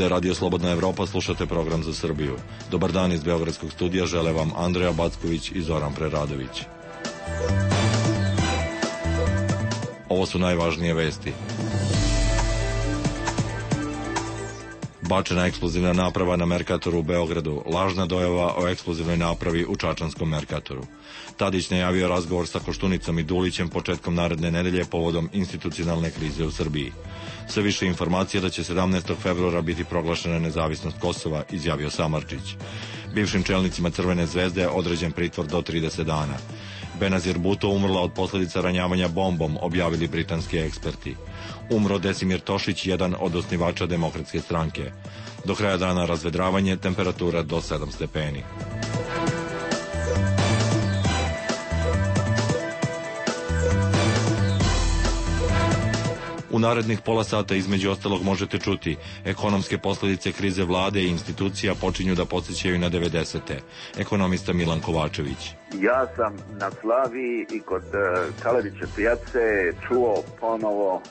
Ovde je Radio Slobodna Evropa, slušate program za Srbiju. Dobar dan iz Beogradskog studija, žele vam Andreja Backović i Zoran Preradović. Ovo su najvažnije vesti. Bačena eksplozivna naprava na Merkatoru u Beogradu, lažna dojava o eksplozivnoj napravi u čačanskom Merkatoru. Tadić najavio razgovor sa Koštunicom i Dulićem početkom naredne nedelje povodom institucionalne krize u Srbiji. Sve više informacija da će 17. februara biti proglašena nezavisnost Kosova, izjavio Samardžić. Bivšim čelnicima Crvene zvezde je određen pritvor do 30 dana. Benazir Bhutto umrla od posljedica ranjavanja bombom, objavili britanski eksperti. Umro Desimir Tošić, jedan od osnivača Demokratske stranke. Do kraja dana razvedravanje, temperatura do 7 stepeni. U narednih pola sata između ostalog možete čuti: ekonomske posljedice krize vlade i institucija počinju da podsjećaju na 90-te. Ekonomista Milan Kovačević. Ja sam na Slaviji i kod Kaleriće pijace čuo ponovo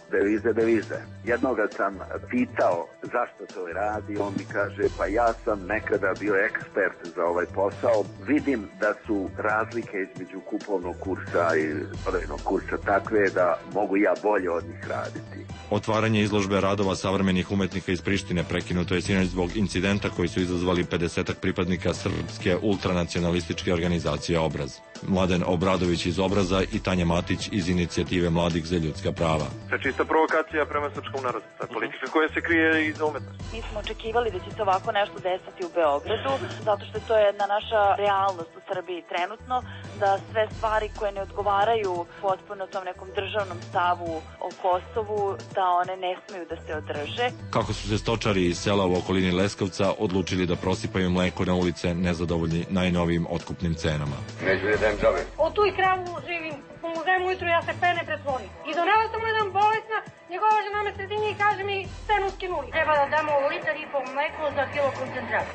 devize. Jednoga sam pitao zašto to radi, on mi kaže pa ja sam nekada bio ekspert za ovaj posao, vidim da su razlike između kupovnog kursa i prodajnog kursa takve da mogu ja bolje od njih raditi. Otvaranje izložbe radova savremenih umetnika iz Prištine prekinuto je sinoć zbog incidenta koji su izazvali 50-ak pripadnika srpske ultranacionalističke organizacije Obraz. Mladen Obradović iz Obraza i Tanja Matić iz Inicijative mladih za ljudska prava. To je čista provokacija prema srpskom narodu, politika koja se krije iza umetnosti. Mi smo očekivali da će se ovako nešto desiti u Beogradu, zato što to je jedna naša realnost u Srbiji trenutno, da sve stvari koje ne odgovaraju potpuno tom nekom državnom stavu o Kosovu, da one ne smeju da se održe. Kako su se stočari iz sela u okolini Leskovca odlučili da prosipaju mleko na ulice nezadovoljni najnovijim otkupnim cenama. Neću da dajem džabe. Od tu i kravu živim, pomogem ujutru, ja se pene pretvorim. I donela sam jedan bolesna, njegova žena me sredinje i kaže mi cenu skinuli. Treba da damo litar i pol mleko za kilo koncentrata.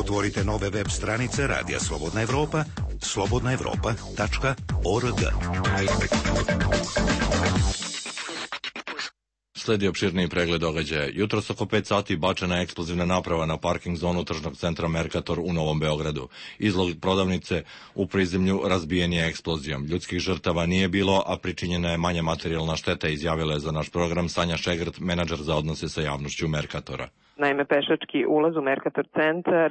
Otvorite nove web stranice Radija Slobodna Evropa, slobodnaevropa.org. Sledi opširniji pregled događaja. Jutros oko 5 sati bačena je eksplozivna naprava na parking zonu tržnog centra Merkator u Novom Beogradu. Izlog prodavnice u prizemlju razbijen je eksplozijom. Ljudskih žrtava nije bilo, a pričinjena je manja materijalna šteta, izjavila je za naš program Sanja Šegrt, menadžer za odnose sa javnošću Merkatora. Naime, pešački ulaz u Merkator centar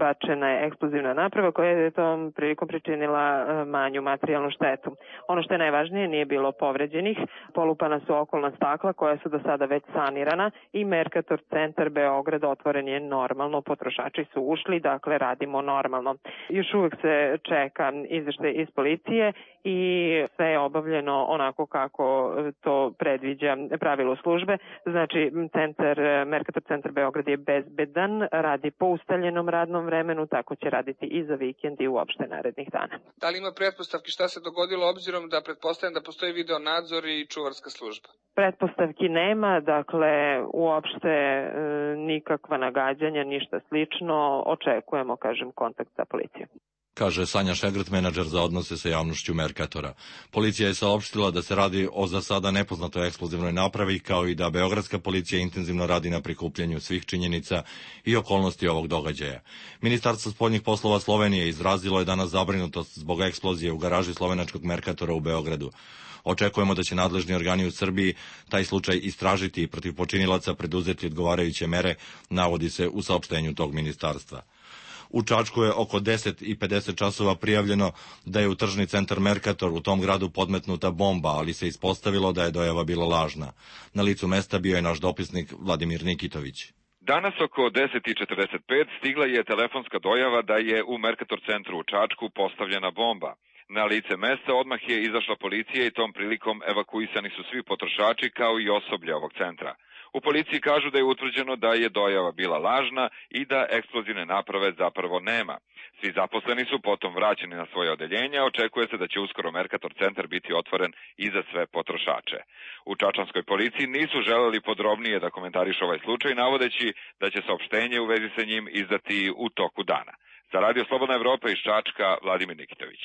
bačena je eksplozivna naprava koja je tom prilikom pričinila manju materijalnu štetu. Ono što je najvažnije, nije bilo povređenih, polupana su okolna stakla koja su do sada već sanirana i Merkator centar Beograd otvoren je normalno, potrošači su ušli, dakle radimo normalno. Još uvek se čeka izveštaj iz policije i sve je obavljeno onako kako to predviđa pravilo službe. Znači, Merkator centar Beograd je bezbedan, radi po ustaljenom radnom vremenu, tako će raditi i za vikend i uopšte narednih dana. Da li ima pretpostavki šta se dogodilo obzirom da pretpostavljam da postoji video nadzor i čuvarska služba? Pretpostavki nema, dakle uopšte nikakva nagađanja, ništa slično, očekujemo, kažem, kontakt sa policijom. Kaže Sanja Šegrt, menadžer za odnose sa javnošću Merkatora. Policija je saopštila da se radi o za sada nepoznatoj eksplozivnoj napravi, kao i da beogradska policija intenzivno radi na prikupljanju svih činjenica i okolnosti ovog događaja. Ministarstvo spoljnih poslova Slovenije izrazilo je danas zabrinutost zbog eksplozije u garaži slovenačkog Merkatora u Beogradu. Očekujemo da će nadležni organi u Srbiji taj slučaj istražiti i protiv počinilaca preduzeti odgovarajuće mere, navodi se u saopštenju tog ministarstva. U Čačku je oko 10:50 časova prijavljeno da je u tržni centar Merkator u tom gradu podmetnuta bomba, ali se ispostavilo da je dojava bila lažna. Na licu mesta bio je naš dopisnik Vladimir Nikitović. Danas oko 10:45 stigla je telefonska dojava da je u Merkator centru u Čačku postavljena bomba. Na lice mesta odmah je izašla policija i tom prilikom evakuisani su svi potrošači kao i osoblje ovog centra. U policiji kažu da je utvrđeno da je dojava bila lažna i da eksplozivne naprave zapravo nema. Svi zaposleni su potom vraćeni na svoje odeljenja, očekuje se da će uskoro Merkator centar biti otvoren i za sve potrošače. U čačanskoj policiji nisu želeli podrobnije da komentarišu ovaj slučaj, navodeći da će saopštenje u vezi sa njim izdati u toku dana. Za Radio Slobodna Evropa iz Čačka, Vladimir Nikitović.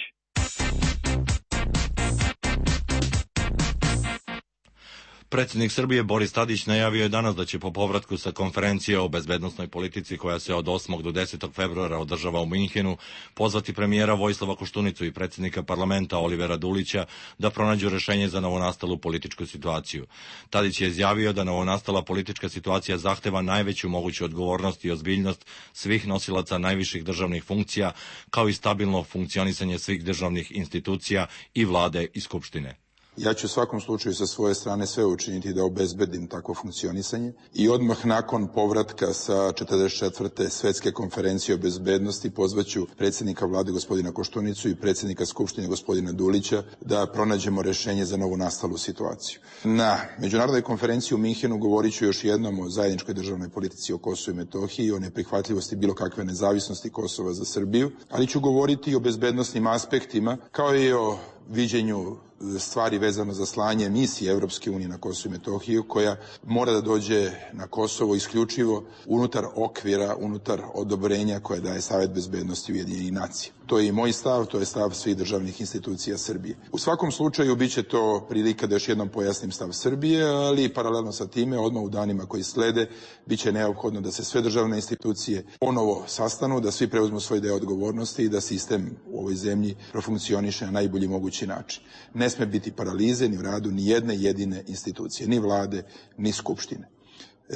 Predsjednik Srbije Boris Tadić najavio je danas da će po povratku sa konferencije o bezbednosnoj politici koja se od 8. do 10. februara održava u Minhenu pozvati premijera Vojislava Koštunicu i predsjednika parlamenta Olivera Dulića da pronađu rešenje za novonastalu političku situaciju. Tadić je izjavio da novonastala politička situacija zahteva najveću moguću odgovornost i ozbiljnost svih nosilaca najviših državnih funkcija, kao i stabilno funkcionisanje svih državnih institucija i vlade i skupštine. Ja ću u svakom slučaju sa svoje strane sve učiniti da obezbedim takvo funkcionisanje i odmah nakon povratka sa 44. svetske konferencije o bezbednosti pozvaću predsjednika vlade gospodina Koštunicu i predsjednika skupštine gospodina Dulića da pronađemo rešenje za novonastalu situaciju. Na međunarodnoj konferenciji u Minhenu govorit ću još jednom o zajedničkoj državnoj politici o Kosovu i Metohiji i o neprihvatljivosti bilo kakve nezavisnosti Kosova za Srbiju, ali ću govoriti i o bezbednosnim aspektima kao i o viđenju stvari vezano za slanje misije Evropske unije na Kosovo i Metohiju, koja mora da dođe na Kosovo isključivo unutar okvira, unutar odobrenja koje daje Savet bezbednosti Ujedinjenih nacija. To je i moj stav, to je stav svih državnih institucija Srbije. U svakom slučaju biće to prilika da još jednom pojasnim stav Srbije, ali paralelno sa time, odmah u danima koji slede, biće neophodno da se sve državne institucije ponovo sastanu, da svi preuzmu svoj deo odgovornosti i da sistem u ovoj zemlji profunkcioniše na najbolji mogući način. Ne sme biti paralize ni u radu ni jedne jedine institucije, ni vlade, ni skupštine.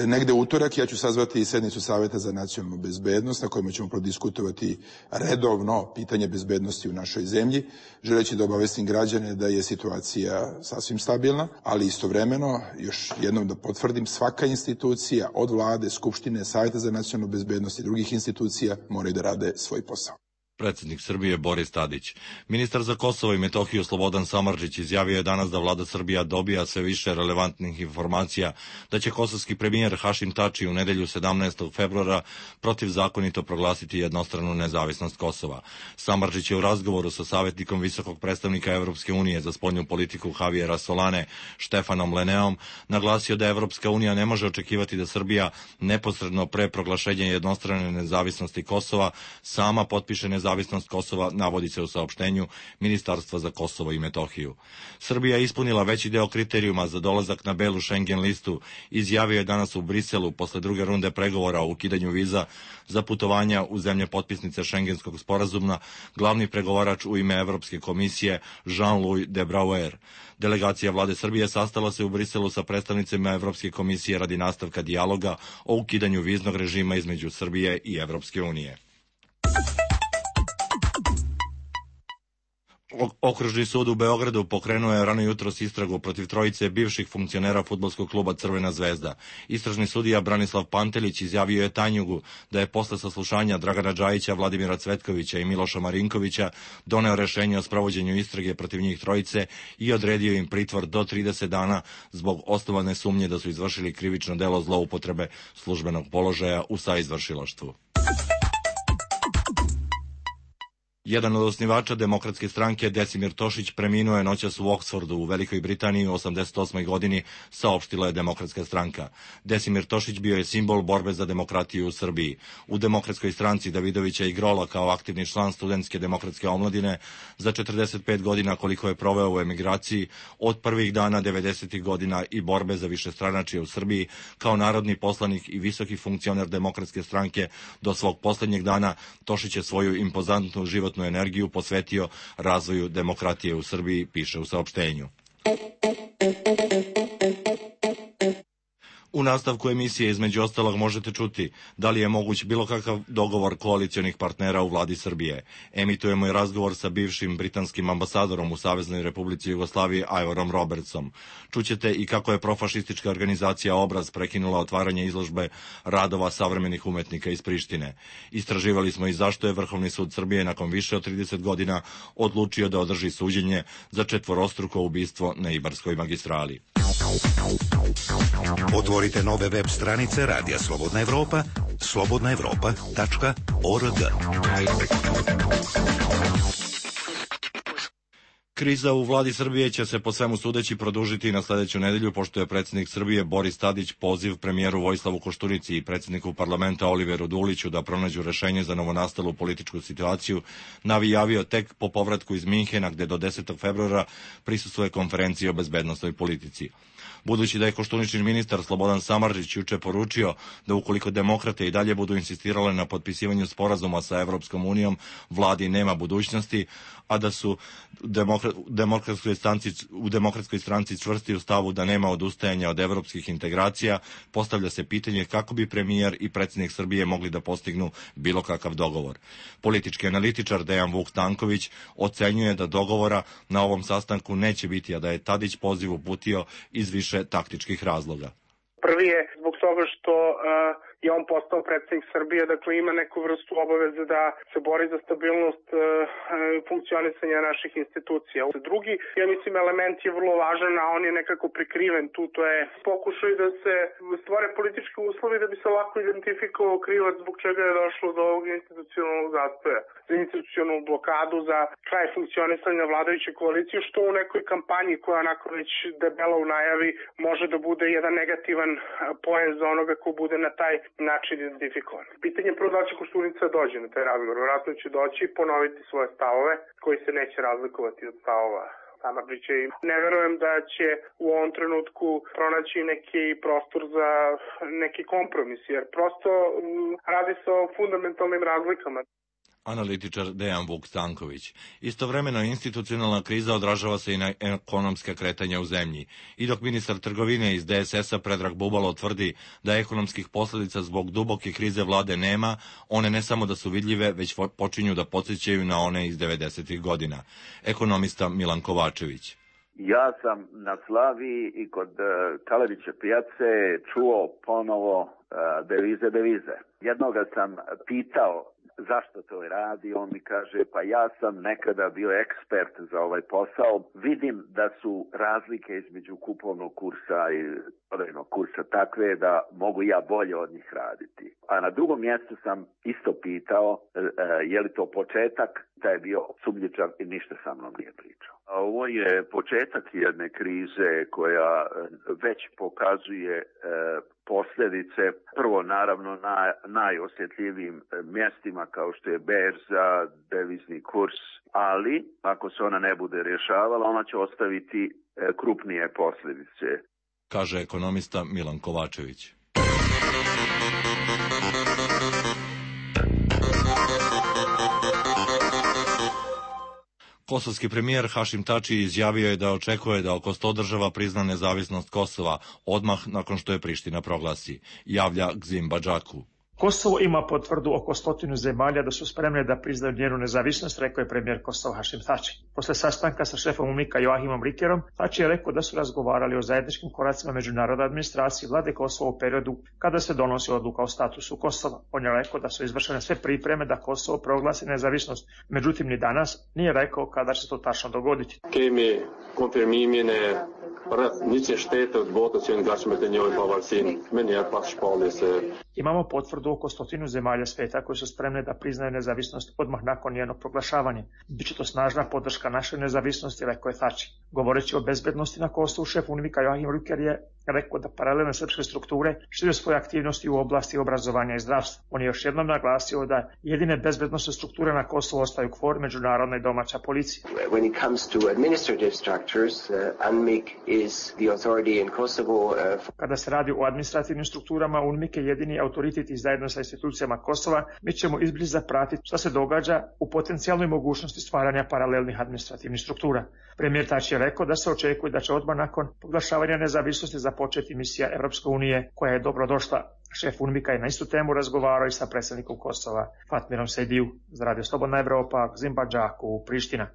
Negde u utorak ja ću sazvati sednicu Saveta za nacionalnu bezbednost na kojima ćemo prodiskutovati redovno pitanje bezbednosti u našoj zemlji, želeći da obavestim građane da je situacija sasvim stabilna, ali istovremeno, još jednom da potvrdim, svaka institucija od vlade, skupštine, Saveta za nacionalnu bezbednost i drugih institucija moraju da rade svoj posao. Predsjednik Srbije Boris Tadić. Ministar za Kosovo i Metohiju Slobodan Samardžić izjavio je danas da vlada Srbija dobija sve više relevantnih informacija da će kosovski premijer Hašim Tači u nedelju 17. februara protivzakonito proglasiti jednostranu nezavisnost Kosova. Samardžić je u razgovoru sa savjetnikom visokog predstavnika Evropske unije za spoljnu politiku Javiera Solane Štefanom Leneom naglasio da Evropska unija ne može očekivati da Srbija neposredno pre proglašenja jednostrane nezavisnosti Kosova sama potpiše nezavisnost Kosova, navodi se u saopštenju Ministarstva za Kosovo i Metohiju. Srbija je ispunila veći deo kriterijuma za dolazak na belu Schengen listu, izjavio je danas u Briselu posle druge runde pregovora o ukidanju viza za putovanja u zemlje potpisnice Schengenskog sporazuma, glavni pregovarač u ime Evropske komisije Jean-Louis de Brouwer. Delegacija vlade Srbije sastala se u Briselu sa predstavnicima Evropske komisije radi nastavka dijaloga o ukidanju viznog režima između Srbije i Evropske unije. Okružni sud u Beogradu pokrenuo je rano jutros istragu protiv trojice bivših funkcionera fudbalskog kluba Crvena zvezda. Istražni sudija Branislav Pantelić izjavio je Tanjugu da je posle saslušanja Dragana Džajića, Vladimira Cvetkovića i Miloša Marinkovića doneo rešenje o sprovođenju istrage protiv njih trojice i odredio im pritvor do 30 dana zbog osnovane sumnje da su izvršili krivično delo zloupotrebe službenog položaja u saizvršilaštvu. Jedan od osnivača Demokratske stranke, Decimir Tošić, preminuo je noćas u Oksfordu u Velikoj Britaniji u 88. godini, saopštila je Demokratska stranka. Decimir Tošić bio je simbol borbe za demokratiju u Srbiji. U Demokratskoj stranci Davidovića i Grola kao aktivni član studentske demokratske omladine za 45 godina koliko je proveo u emigraciji od prvih dana 90. godina i borbe za višestranačje u Srbiji kao narodni poslanik i visoki funkcioner Demokratske stranke do svog posljednjeg dana, Tošić je svoju impozantnu životnu energiju posvetio razvoju demokratije u Srbiji, piše u saopštenju. U nastavku emisije između ostalog možete čuti da li je moguć bilo kakav dogovor koalicionih partnera u vladi Srbije. Emitujemo i razgovor sa bivšim britanskim ambasadorom u Saveznoj Republici Jugoslaviji Ivorom Robertsom. Čućete i kako je profašistička organizacija Obraz prekinula otvaranje izložbe radova savremenih umetnika iz Prištine. Istraživali smo i zašto je Vrhovni sud Srbije nakon više od 30 godina odlučio da održi suđenje za četvorostruko ubistvo na Ibarskoj magistrali. Otvorite nove web stranice Radija Slobodna Evropa, slobodnaevropa.org. Kriza u vladi Srbije će se po svemu sudeći produžiti na sledeću nedelju, pošto je predsjednik Srbije Boris Tadić poziv premijeru Vojislavu Koštunici i predsjedniku parlamenta Oliveru Duliću da pronađu rešenje za novonastalu političku situaciju najavio tek po povratku iz Minhena, gde do 10. februara prisustvuje konferenciji o bezbednosnoj politici. Budući da je Koštuničin ministar Slobodan Samardžić juče poručio da ukoliko demokrate i dalje budu insistirale na potpisivanju sporazuma sa Evropskom unijom, vladi nema budućnosti, a da su u demokratskoj stranci čvrsti u stavu da nema odustajanja od evropskih integracija, postavlja se pitanje kako bi premijer i predsjednik Srbije mogli da postignu bilo kakav dogovor. Politički analitičar Dejan Vuk Stanković ocenjuje da dogovora na ovom sastanku neće biti, a da je Tadić poziv uputio iz više taktičkih razloga. Prvi je zbog toga što je on postao predsjednik Srbije, dakle ima neku vrstu obaveze da se bori za stabilnost funkcionisanja naših institucija. Drugi, ja mislim, element je vrlo važan, a on je nekako prikriven tu, to je pokušaj da se stvore politički uslovi da bi se lako identifikovao krivac zbog čega je došlo do ovog institucionalnog zastoja, za institucionalnu blokadu, za kraj funkcionisanja vladajuće koalicije, što u nekoj kampanji koja onako već debelo u najavi može da bude jedan negativan poen za onoga ko bude na taj način identifikovan. Pitanje je prvo da će Koštunica dođe na taj razgovor. Vjerojatno će doći i ponoviti svoje stavove koji se neće razlikovati od stavova Samardžića. Ne verujem da će u ovom trenutku pronaći neki prostor za neki kompromis, jer prosto radi se o fundamentalnim razlikama. Analitičar Dejan Vuk Stanković. Istovremeno institucionalna kriza odražava se i na ekonomska kretanja u zemlji. I dok ministar trgovine iz DSS-a Predrag Bubalo tvrdi da ekonomskih posljedica zbog duboke krize vlade nema, one ne samo da su vidljive, već počinju da podsjećaju na one iz 90. godina. Ekonomista Milan Kovačević. Ja sam na Slaviji i kod Kalerića pijace čuo ponovo devize. Jednoga sam pitao zašto to radi, on mi kaže pa ja sam nekada bio ekspert za ovaj posao, vidim da su razlike između kupovnog kursa i prodajnog kursa takve da mogu ja bolje od njih raditi. A na drugom mjestu sam isto pitao je li to početak, da je bio sumnjičav i ništa sa mnom nije pričao. Ovo je početak jedne krize koja već pokazuje posljedice, prvo naravno na najosjetljivijim mjestima kao što je berza, devizni kurs, ali ako se ona ne bude rješavala, ona će ostaviti krupnije posljedice. Kaže ekonomista Milan Kovačević. Kosovski premijer Hašim Tači izjavio je da očekuje da oko 100 država prizna nezavisnost Kosova odmah nakon što je Priština proglasi, javlja Gzim Badžaku. Kosovo ima potvrdu oko 100 zemalja da su spremne da priznaju njenu nezavisnost, rekao je premijer Kosova Hašim Tači. Posle sastanka sa šefom UNMIK-a Joahimom Rikerom, Tači je rekao da su razgovarali o zajedničkim koracima međunarodne administracije vlade Kosova u periodu kada se donosi odluka o statusu Kosova. On je rekao da su izvršene sve pripreme da Kosovo proglasi nezavisnost, međutim ni danas nije rekao kada će to tačno dogoditi. Imamo potvrdu oko 100 zemalja sveta koji su spremne da priznaju nezavisnost odmah nakon njenog proglašavanja. Biće to snažna podrška našoj nezavisnosti, rekao je Tači. Govoreći o bezbednosti na Kosovu, šef UNMIK-a Joahim Riker je rekao da paralelne srpske strukture šire svoje aktivnosti u oblasti obrazovanja i zdravstva. On je još jednom naglasio da jedine bezbednosne strukture na Kosovu ostaju KFOR, međunarodna i domaća policija. When it comes to administrative structures, UNMIK is the authority in Kosovo. Kada se radi o administrativnim strukturama, UNMIK je jedini autoritet i zajedno sa institucijama Kosova, mi ćemo izbliza pratiti šta se događa u potencijalnoj mogućnosti stvaranja paralelnih administrativnih struktura. Premijer Tači je rekao da se očekuje da će odmah nakon proglašavanja nezavisnosti započeti misija Evropske unije koja je dobrodošla. Šef UNMIK-a je na istu temu razgovarao i sa predsjednikom Kosova Fatmirom Sejdiju. Za Radio Slobodna Evropa, Gzim Badžaku, Priština.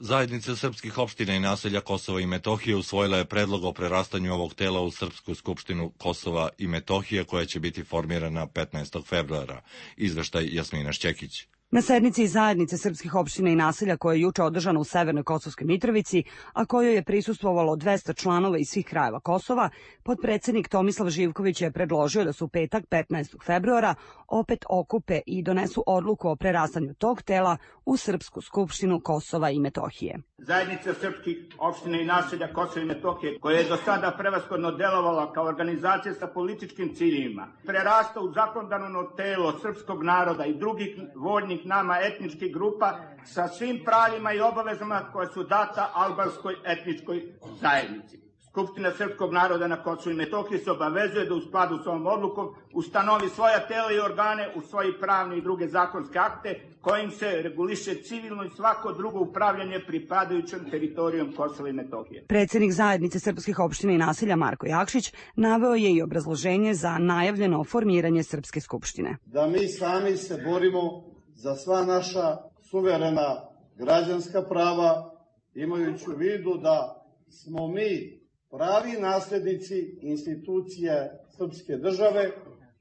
Zajednica srpskih opština i naselja Kosova i Metohije usvojila je predlog o prerastanju ovog tela u Srpsku skupštinu Kosova i Metohije koja će biti formirana 15. februara. Izveštaj Jasmina Šćekić. Na sednici Zajednice srpskih opština i naselja koja je juče održana u Severnoj Kosovskoj Mitrovici, a kojoj je prisustvovalo 200 članova iz svih krajeva Kosova, potpredsednik Tomislav Živković je predložio da se u petak 15. februara opet okupe i donesu odluku o prerastanju tog tela u Srpsku skupštinu Kosova i Metohije. Zajednica srpskih opština i naselja Kosova i Metohije, koja je do sada prevashodno delovala kao organizacija sa političkim ciljevima, prerasta u zakonodavno telo srpskog naroda i drugih voljnih nama etničkih grupa sa svim pravima i obavezama koje su data albanskoj etničkoj zajednici. Skupština srpskog naroda na Kosovu i Metohiji se obavezuje da u skladu s ovom odlukom ustanovi svoja tela i organe u svoji pravne i druge zakonske akte kojim se reguliše civilno i svako drugo upravljanje pripadajućom teritorijom Kosova i Metohije. Predsednik Zajednice srpskih opština i naselja Marko Jakšić naveo je i obrazloženje za najavljeno formiranje Srpske skupštine. Da mi sami se borimo za sva naša suverena građanska prava, imajući u vidu da smo mi pravi naslednici institucije srpske države,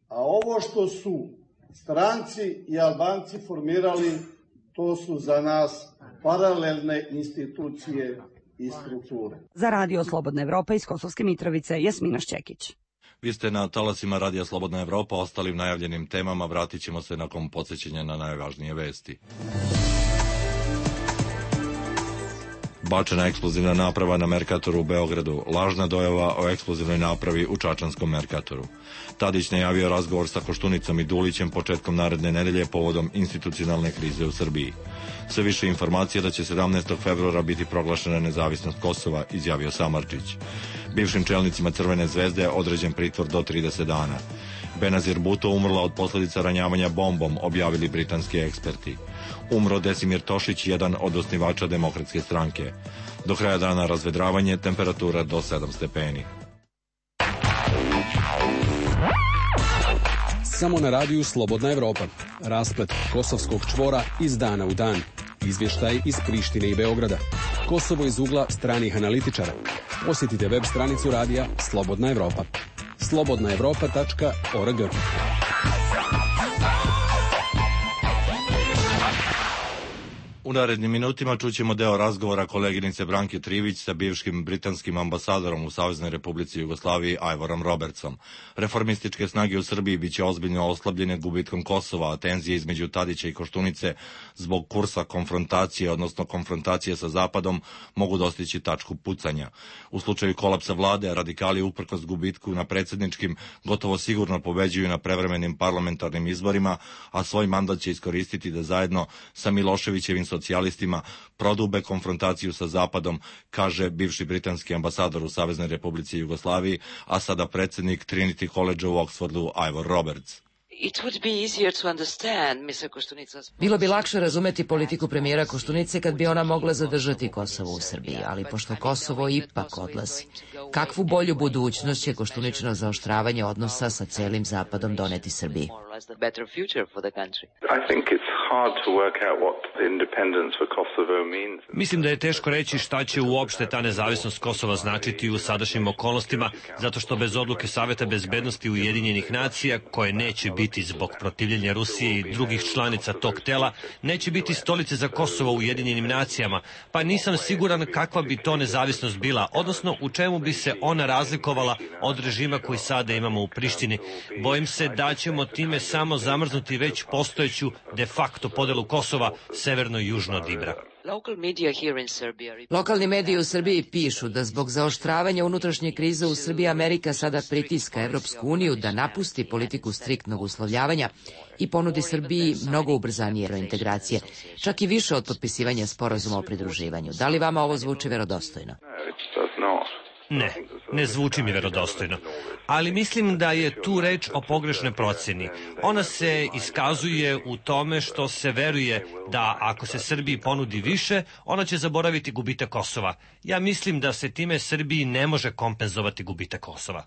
a ovo što su stranci i Albanci formirali, to su za nas paralelne institucije i strukture. Za Radio Slobodna Evropa iz Kosovske Mitrovice, Jasmina Šćekić. Vi ste na talasima Radija Slobodna Evropa, ostalim najavljenim temama vratit ćemo se nakon podsjećanja na najvažnije vesti. Bačena eksplozivna naprava na Merkatoru u Beogradu, lažna dojava o eksplozivnoj napravi u čačanskom Merkatoru. Tadić najavio razgovor sa Koštunicom i Dulićem početkom naredne nedelje povodom institucionalne krize u Srbiji. Sve više informacija da će 17. februara biti proglašena nezavisnost Kosova, izjavio Samardžić. Bivšim čelnicima Crvene zvezde određen pritvor do 30 dana. Benazir Bhutto umrla od posljedica ranjavanja bombom, objavili britanski eksperti. Umro Desimir Tošić, jedan od osnivača Demokratske stranke. Do kraja dana razvedravanje, temperatura do 7 stepeni. Samo na radiju Slobodna Evropa. Rasplet kosovskog čvora iz dana u dan. Izvještaj iz Prištine i Beograda. Kosovo iz ugla stranih analitičara. Posjetite web stranicu radija Slobodna Evropa. slobodnaevropa.org. U narednim minutima čućemo deo razgovora koleginice Branke Trivić sa bivšim britanskim ambasadorom u Saveznoj Republici Jugoslaviji Ivorom Robertsom. Reformističke snage u Srbiji biće ozbiljno oslabljene gubitkom Kosova, a tenzije između Tadića i Koštunice zbog kursa konfrontacije, odnosno konfrontacije sa Zapadom, mogu dostići tačku pucanja. U slučaju kolapsa vlade, radikali uprkos gubitku na predsjedničkim gotovo sigurno pobeđuju na prevremenim parlamentarnim izborima, a svoj mandat će iskoristiti da zajedno sa Miloševićevim socijalistima prodube konfrontaciju sa Zapadom, kaže bivši britanski ambasador u Saveznoj Republici Jugoslaviji, a sada predsjednik Trinity College u Oxfordu Ivor Roberts. Bilo bi lakše razumeti politiku premijera Koštunice kad bi ona mogla zadržati Kosovo u Srbiji, ali pošto Kosovo ipak odlazi, kakvu bolju budućnost će Koštuničino zaoštravanje odnosa sa celim Zapadom doneti Srbiji? Mislim da je teško reći šta će uopšte ta nezavisnost Kosova značiti u sadašnjim okolnostima, zato što bez odluke Saveta bezbednosti Ujedinjenih nacija, koje neće biti zbog protivljenja Rusije i drugih članica tog tela, neće biti stolice za Kosovo u Ujedinjenim nacijama, pa nisam siguran kakva bi to nezavisnost bila, odnosno u čemu bi se ona razlikovala od režima koji sada imamo u Prištini. Bojim se da ćemo time samo zamrznuti već postojeću de facto podelu Kosova severno i južno od Ibra. Lokalni mediji u Srbiji pišu da zbog zaoštravanja unutrašnje krize u Srbiji Amerika sada pritiska Evropsku uniju da napusti politiku striktnog uslovljavanja i ponudi Srbiji mnogo ubrzanije integracije, čak i više od potpisivanja sporazuma o pridruživanju. Da li vama ovo zvuči verodostojno? Ne, ne zvuči mi verodostojno, ali mislim da je tu reč o pogrešnoj procjeni. Ona se iskazuje u tome što se veruje da ako se Srbiji ponudi više, ona će zaboraviti gubitak Kosova. Ja mislim da se time Srbiji ne može kompenzovati gubitak Kosova.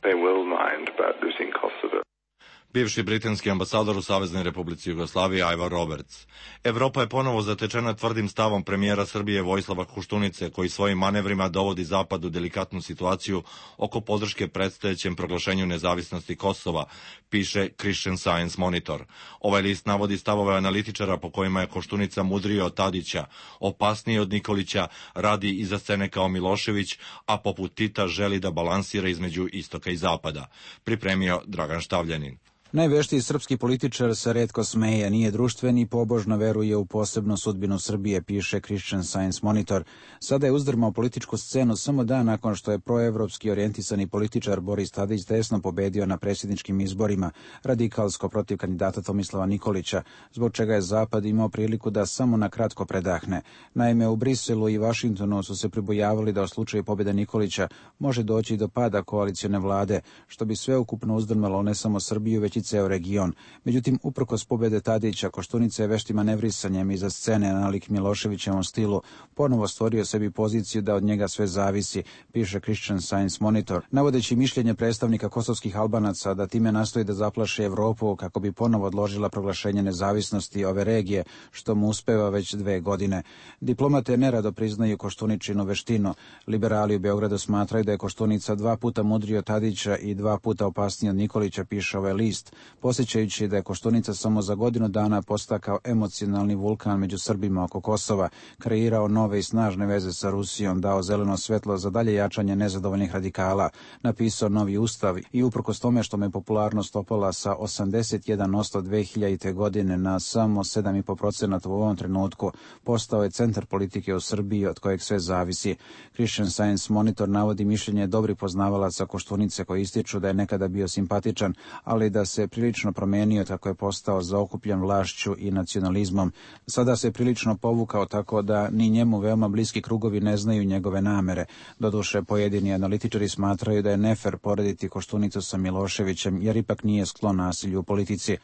Bivši britanski ambasador u Saveznoj Republici Jugoslaviji Ivor Roberts. Evropa je ponovo zatečena tvrdim stavom premijera Srbije Vojislava Koštunice, koji svojim manevrima dovodi Zapad u delikatnu situaciju oko podrške predstojećem proglašenju nezavisnosti Kosova, piše Christian Science Monitor. Ovaj list navodi stavove analitičara po kojima je Koštunica mudriji od Tadića, opasniji od Nikolića, radi iza scene kao Milošević, a poput Tita želi da balansira između istoka i zapada. Pripremio Dragan Štavljanin. Najveštiji srpski političar se retko smeje, nije društven i pobožno veruje u posebnu sudbinu Srbije, piše Christian Science Monitor. Sada je uzdrmao političku scenu samo dan nakon što je proevropski orijentisani političar Boris Tadić tesno pobedio na predsjedničkim izborima radikalsko protiv kandidata Tomislava Nikolića, zbog čega je Zapad imao priliku da samo na kratko predahne. Naime, u Briselu i Vašingtonu su se pribojavali da u slučaju pobjede Nikolića može doći do pada koalicione vlade, što bi sveukupno uzdrmalo ne samo Srbiju, već i ceo region. Međutim, uprkos pobjede Tadića, Koštunica je veštim manevrisanjem iza scene nalik Miloševićevom stilu ponovo stvorio sebi poziciju da od njega sve zavisi, piše Christian Science Monitor, navodeći mišljenje predstavnika kosovskih Albanaca da time nastoji da zaplaši Evropu kako bi ponovo odložila proglašenje nezavisnosti ove regije, što mu uspeva već 2 godine. Diplomate nerado priznaju Koštuničinu veštinu. Liberali u Beogradu smatraju da je Koštunica 2 puta mudriji od Tadića i 2 puta opasniji od Nikolića, piše ovaj list, posjećajući da je Koštunica samo za godinu dana postakao emocionalni vulkan među Srbima oko Kosova, kreirao nove i snažne veze sa Rusijom, dao zeleno svetlo za dalje jačanje nezadovoljnih radikala, napisao novi ustav i uprkos tome što me popularnost opala sa 81% 2000. godine na samo 7,5% u ovom trenutku, postao je centar politike u Srbiji od kojeg sve zavisi. Christian Science Monitor navodi mišljenje dobrih poznavalaca Koštunice koji ističu da je nekada bio simpatičan, ali da se prilično promenio kako je postao zaokupljen vlašću i nacionalizmom. Sada se prilično povukao tako da ni njemu veoma bliski krugovi ne znaju njegove namere. Doduše, pojedini analitičari smatraju da je nefer porediti Koštunicu sa Miloševićem, jer ipak nije sklon nasilju u politici.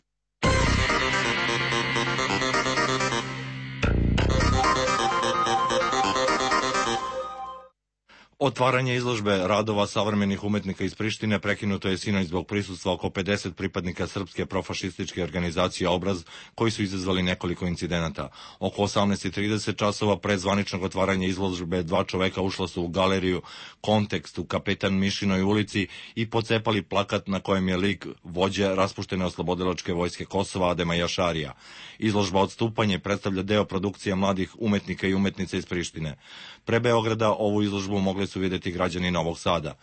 Otvaranje izložbe radova savremenih umetnika iz Prištine prekinuto je sinoć zbog prisustva oko 50 pripadnika srpske profašističke organizacije Obraz, koji su izazvali nekoliko incidenata. Oko 18:30 časova pre zvaničnog otvaranja izložbe 2 čoveka ušla su u galeriju Kontekst u Kapetan Mišinoj ulici i pocepali plakat na kojem je lik vođe raspuštene oslobodilačke vojske Kosova Adema Jašarija. Izložba Odstupanje predstavlja deo produkcije mladih umetnika i umetnica iz Prištine. Pre Beograda ovu izložbu mogli su vidjeti građani Novog Sada.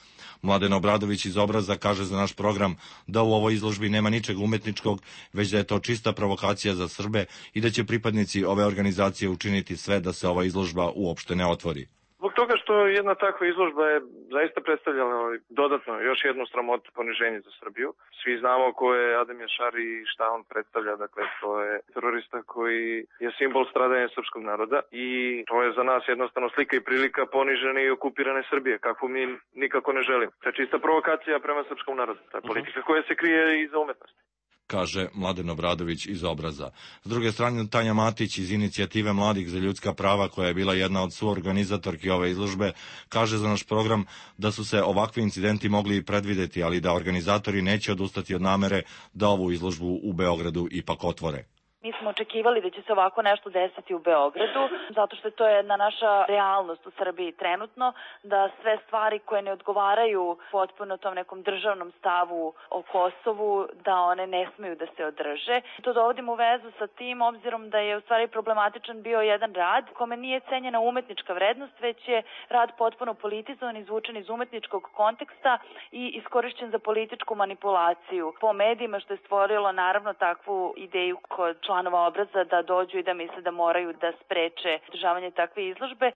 Mladen Obradović iz Obraza kaže za naš program da u ovoj izložbi nema ničeg umetničkog, već da je to čista provokacija za Srbe i da će pripadnici ove organizacije učiniti sve da se ova izložba uopšte ne otvori. Zbog toga što jedna takva izložba je zaista predstavljala dodatno još jednu sramotu, poniženje za Srbiju. Svi znamo ko je Adem Jašari i šta on predstavlja, dakle to je terorista koji je simbol stradanja srpskog naroda i to je za nas jednostavno slika i prilika ponižene i okupirane Srbije, kakvu mi nikako ne želimo. To je čista provokacija prema srpskom narodu, to je politika koja se krije iza umetnosti, kaže Mladen Obradović iz Obraza. S druge strane, Tanja Matić iz Inicijative mladih za ljudska prava, koja je bila jedna od suorganizatorki ove izložbe, kaže za naš program da su se ovakvi incidenti mogli i predvideti, ali da organizatori neće odustati od namere da ovu izložbu u Beogradu ipak otvore. Mi smo očekivali da će se ovako nešto desiti u Beogradu, zato što to je jedna naša realnost u Srbiji trenutno, da sve stvari koje ne odgovaraju potpuno tom nekom državnom stavu o Kosovu, da one ne smeju da se održe. To dovodimo u vezu sa tim, obzirom da je u stvari problematičan bio jedan rad kome nije cenjena umetnička vrednost, već je rad potpuno politizovan, izvučen iz umetničkog konteksta i iskorišćen za političku manipulaciju po medijima, što je stvorilo naravno takvu ideju kod članova Obraza da dođu i da misle da moraju da spreče održavanje takve izložbe.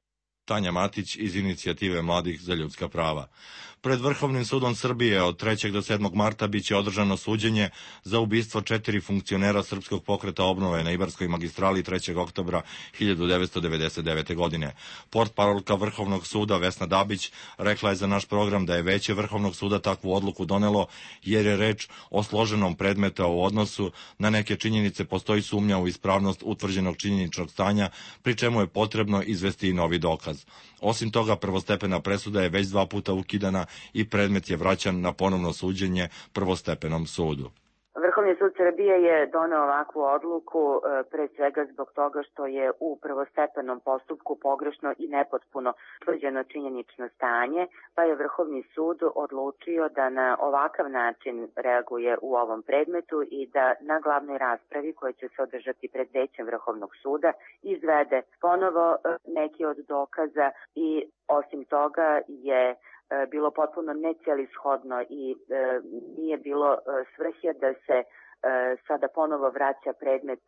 Tanja Matić iz Inicijative mladih za ljudska prava. Pred Vrhovnim sudom Srbije od 3. do 7. marta biće održano suđenje za ubistvo 4 funkcionera Srpskog pokreta obnove na Ibarskoj magistrali 3. oktobra 1999. godine. Portparolka Vrhovnog suda Vesna Dabić rekla je za naš program da je Veće Vrhovnog suda takvu odluku donelo jer je reč o složenom predmeta u odnosu na neke činjenice postoji sumnja u ispravnost utvrđenog činjeničnog stanja, pri čemu je potrebno izvesti i novi dokaz. Osim toga, prvostepena presuda je već 2 puta ukidana i predmet je vraćan na ponovno suđenje prvostepenom sudu. Vrhovni sud Srbije je doneo ovakvu odluku pre svega zbog toga što je u prvostepenom postupku pogrešno i nepotpuno utvrđeno činjenično stanje, pa je Vrhovni sud odlučio da na ovakav način reaguje u ovom predmetu i da na glavnoj raspravi koja će se održati pred Većem Vrhovnog suda izvede ponovo neki od dokaza i osim toga je bilo potpuno necelishodno i nije bilo svrhe da se sada ponovo vraća predmet,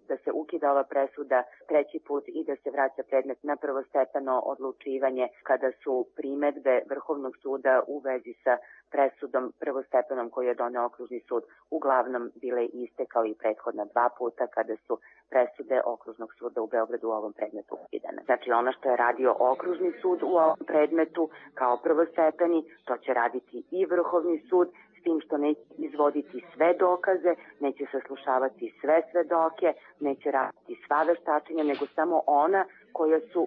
da se ukida ova presuda treći put i da se vraća predmet na prvostepeno odlučivanje kada su primedbe Vrhovnog suda u vezi sa presudom prvostepenom koju je doneo Okružni sud uglavnom bile iste kao i prethodna dva puta kada su presude Okružnog suda u Beogradu u ovom predmetu ukidane. Znači ono što je radio Okružni sud u ovom predmetu kao prvostepeni, to će raditi i Vrhovni sud, s tim što neće izvoditi sve dokaze, neće saslušavati sve svedoke, neće raditi sva veštačenja, nego samo ona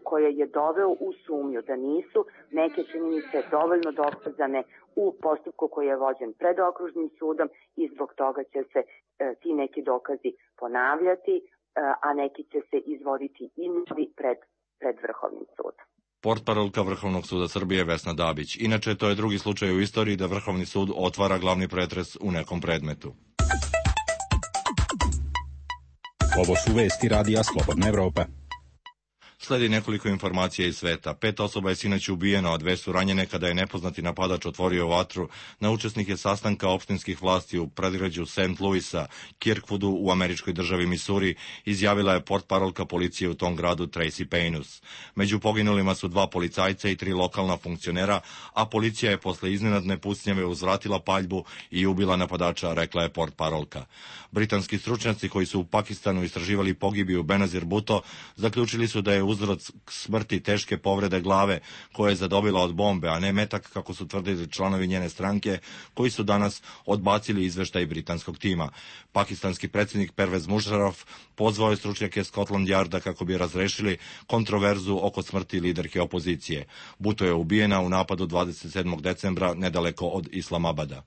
koje je doveo u sumnju da nisu neke činjenice dovoljno dokazane u postupku koji je vođen pred Okružnim sudom i zbog toga će se ti neki dokazi ponavljati, a neki će se izvoditi i pred Vrhovnim sudom. Portparolka Vrhovnog suda Srbije Vesna Dabić. Inače, to je drugi slučaj u istoriji da Vrhovni sud otvara glavni pretres u nekom predmetu. Ovo su vesti Radija Slobodna Evropa. Sledi nekoliko informacija iz sveta. 5 osoba je sinoć ubijeno, a 2 su ranjene kada je nepoznati napadač otvorio vatru na učesnike sastanka opštinskih vlasti u predgrađu St. Louisa, Kirkwoodu u američkoj državi Missouri, izjavila je portparolka policije u tom gradu Tracy Painus. Među poginulima su 2 policajca i 3 lokalna funkcionera, a policija je posle iznenadne pucnjave uzvratila paljbu i ubila napadača, rekla je portparolka. Britanski stručnjaci koji su u Pakistanu istraživali pogibiju Benazir Bhutto zaključili su da je uzrok smrti teške povrede glave koje je zadobila od bombe, a ne metak kako su tvrdili članovi njene stranke koji su danas odbacili izveštaj britanskog tima. Pakistanski predsjednik Pervez Musharraf pozvao je stručnjake Scotland Yarda kako bi razrešili kontroverzu oko smrti liderke opozicije. Bhutto je ubijena u napadu 27. decembra nedaleko od Islamabada.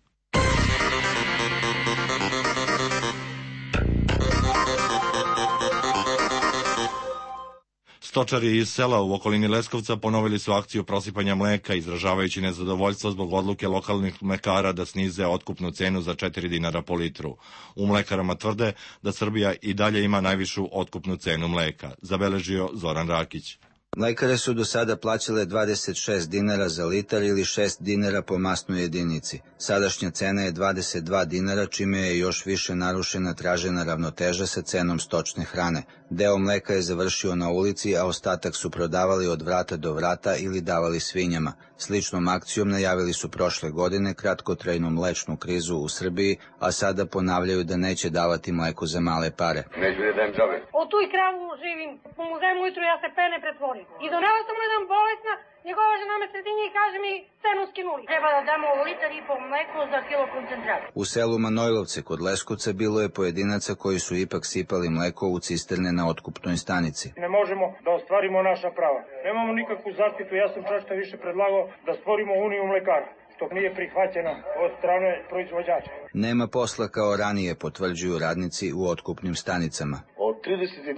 Stočari iz sela u okolini Leskovca ponovili su akciju prosipanja mleka, izražavajući nezadovoljstvo zbog odluke lokalnih mlekara da snize otkupnu cenu za 4 dinara po litru. U mlekarama tvrde da Srbija i dalje ima najvišu otkupnu cenu mleka, zabeležio Zoran Rakić. Mlekare su do sada plaćale 26 dinara za litar ili 6 dinara po masnoj jedinici. Sadašnja cena je 22 dinara, čime je još više narušena tražena ravnoteža sa cenom stočne hrane. Deo mleka je završio na ulici, a ostatak su prodavali od vrata do vrata ili davali svinjama. Sličnom akcijom najavili su prošle godine kratkotrajnu mlečnu krizu u Srbiji, a sada ponavljaju da neće davati mleko za male pare. Neću da dajem džabe. O tu i kravu živim, po muzeju ujutru ja se pene pretvorim. I donela sam mu jedan bolesna, njegova žena me sredinje i kaže mi cenu skinuli. Treba da damo litar i po mleko za kilo koncentrata. U selu Manojlovce kod Leskovca bilo je pojedinaca koji su ipak sipali mleko u cisterne na otkupnoj stanici. Ne možemo da ostvarimo naša prava. Nemamo nikakvu zaštitu, ja sam čak više predlagao da stvorimo uniju mlekara, što nije prihvaćeno od strane proizvođača. Nema posla kao ranije, potvrđuju radnici u otkupnim stanicama. Od 32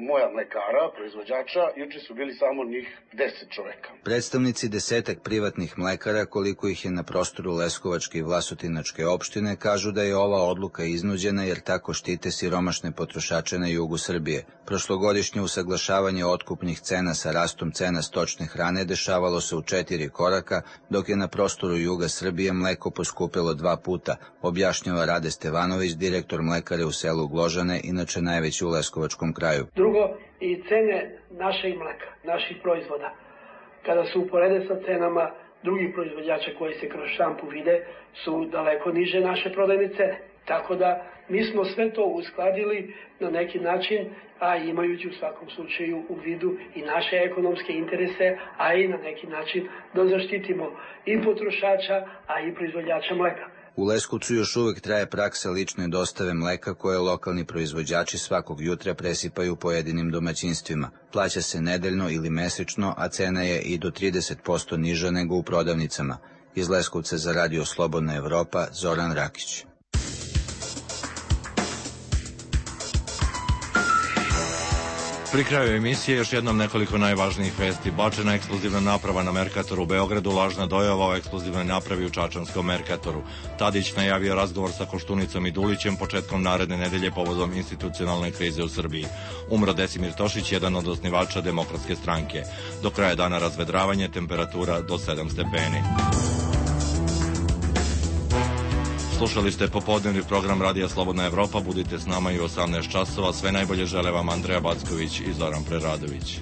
moja mlekara, proizvođača, juče su bili samo njih 10 čoveka. Predstavnici 10 privatnih mlekara, koliko ih je na prostoru Leskovačke i Vlasutinačke opštine, kažu da je ova odluka iznuđena jer tako štite siromašne potrošače na jugu Srbije. Prošlogodišnje usaglašavanje otkupnih cena sa rastom cena stočne hrane dešavalo se u 4 koraka, dok je na prostoru juga Srbije mleko poskupelo 2 puta, objašnjava Rade Stevanović, direktor mlekare u selu Gložane, inače najveći u Leskovačkom kraju. Drugo, i cene našeg mleka, naših proizvoda, kada se uporede sa cenama drugih proizvođača koji se kroz štampu vide, su daleko niže naše prodajne cene. Tako da mi smo sve to uskladili na neki način, a imajući u svakom slučaju u vidu i naše ekonomske interese, a i na neki način da zaštitimo i potrošača, a i proizvođača mleka. U Leskovcu još uvek traje praksa lične dostave mleka koje lokalni proizvođači svakog jutra presipaju pojedinim domaćinstvima. Plaća se nedeljno ili mesečno, a cena je i do 30% niža nego u prodavnicama. Iz Leskovca za Radio Slobodna Evropa, Zoran Rakić. Pri kraju emisije još jednom nekoliko najvažnijih vesti. Bačena eksplozivna naprava na Merkatoru u Beogradu, lažna dojava o eksplozivnoj napravi u čačanskom Merkatoru. Tadić najavio razgovor sa Koštunicom i Dulićem početkom naredne nedelje povodom institucionalne krize u Srbiji. Umro Desimir Tošić, jedan od osnivača Demokratske stranke. Do kraja dana razvedravanje, temperatura do 7 stepeni. Slušali ste popodnevni program Radija Slobodna Evropa. Budite s nama i u 18 časova. Sve najbolje žele vam Andreja Backović i Zoran Preradović.